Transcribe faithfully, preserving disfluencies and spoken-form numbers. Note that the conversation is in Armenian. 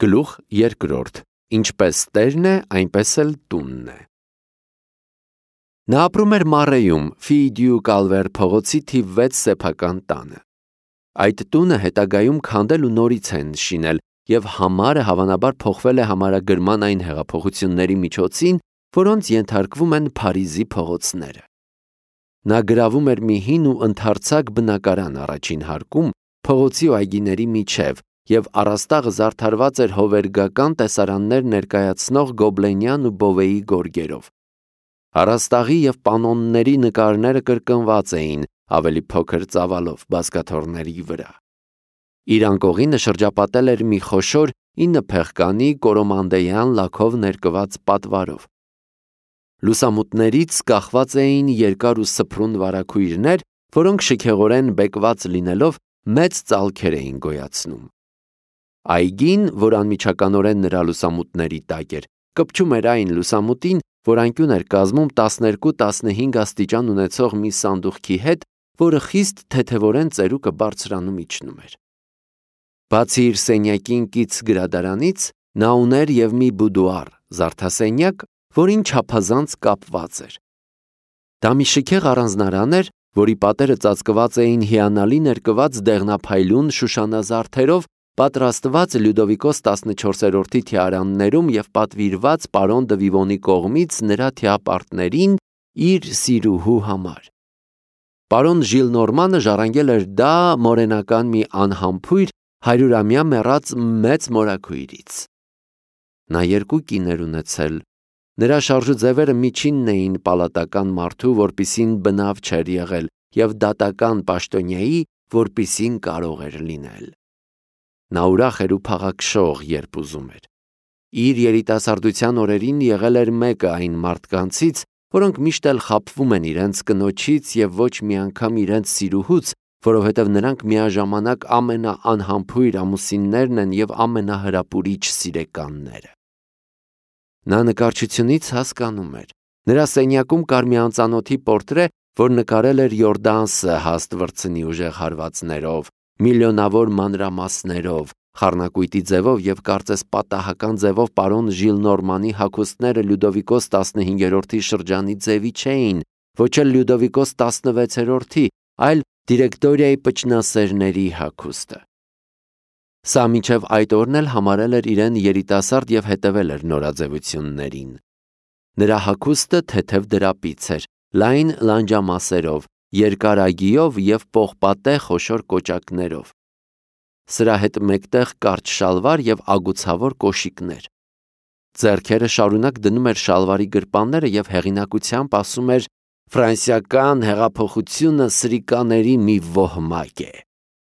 Գլուխ երկրորդ. Ինչպես տերն է, այնպես էլ տունն է։ Նա ապրում էր Մարեյում, Ֆիդյու Կալվեր փողոցի թիվ վեց սեփական տանը։ Այդ տունը հետագայում քանդել ու նորից են շինել, եւ համարը հավանաբար փոխվել է համարագրման այն հեղափոխությունների միջոցին, որոնց ենթարկվում են Փարիզի փողոցները։ Նա գրավում էր մի հին ու ընդարձակ բնակարան առաջին հարկում, փողոցի ու այգիների միջև, եւ առաստաղը զարդարված էր հովերգական տեսարաններ ներկայացնող գոբլենյան ու բովեի գորգերով։ Առաստաղի եւ պանոնների նկարները կրկնված էին ավելի փոքր ծավալով բազկաթոռների վրա։ Իր անկողինը շրջապատել էր մի խոշոր ինը փեղկանի կորոմանդեյան լաքով ներկված պատվարով։ Լուսամուտներից կախված էին երկար ու սփռուն վարագույրներ, որոնք շքեղորեն բեկված լինելով մեծ ծալքեր էին գոյացնում։ Այգին, որ անմիջականորեն նրա լուսամուտների տակ էր, կպչում էր այն լուսամուտին, որ անկյուն էր կազմում տասներկու տասնհինգ աստիճան ունեցող մի սանդուղքի հետ, որը խիստ թեթևորեն ծերուկը բարձրանում իջնում էր։ Բացի իր սենյակին կից գրադարանից, նա ուներ եւ մի բուդուար, զարդասենյակ, որին չափազանց կապված էր։ Դա մի շքեղ առանձնարան էր, որի պատերը ծածկված էին հիանալի ներկված դեղնափայլուն շուշանազարդերով, պատրաստված Լյուդովիկոս տասնչորսերորդի թիարաններում եւ պատվիրված պարոն դը Վիվոնի կողմից նրա թիապարտներին իր սիրուհու համար։ Պարոն Ժիլնորմանը ժառանգել էր դա մորենական մի անհամբույր հարյուրամյա մեռած մեծ մորաքույրից։ Նա երկու կիներ ունեցել։ Նրա շարժու ձևերը միջինն էին պալատական մարդու, որպիսին բնավ չէր եղել, եւ դատական պաշտոնյայի, որպիսին կարող էր լինել։ Նա ուրախ էր ու փաղաքշող, երբ ուզում էր։ Իր երիտասարդության օրերին եղել էր մեկը այն մարդկանցից, որոնք միշտ էլ խաբվում են իրենց կնոջից եւ ոչ մի անգամ իրենց սիրուհուց, որովհետեւ նրանք միաժամանակ ամենաանհամբույր ամուսիններն են եւ ամենահրապուրիչ սիրեկանները։ Նա նկարչությունից հասկանում էր։ Նրա սենյակում կար մի անծանոթի պորտրե, որ նկարել էր Յորդանսը հաստ վրձնի ուժեղ հարվածներով, միլիոնավոր մանրամասներով, խառնակույտի ձևով եւ կարծես պատահական ձևով պարոն Ժիլնորմանի հագուստները Լյուդովիկոս տասնհինգերորդի շրջանի ձևի չէին, ոչ էլ Լյուդովիկոս տասնվեցերորդի, այլ դիրեկտորիայի պճնասերների հագուստը։ Սա մինչև այդ օրն էլ համարել էր իրեն երիտասարդ եւ հետևել էր նորաձևություններին։ Նրա հագուստը թեթև դրապից էր, լայն լանջամասերով, երկար ագիով եւ պողպատե խոշոր կոճակներով։ Սրա հետ մեկտեղ կարճ շալվար եւ ագուցավոր կոշիկներ։ Ձեռքերը շարունակ դնում էր շալվարի գրպանները եւ հեղինակությամբ ասում էր. «Ֆրանսիական հեղափոխությունը սրիկաների մի ոհմակ է»։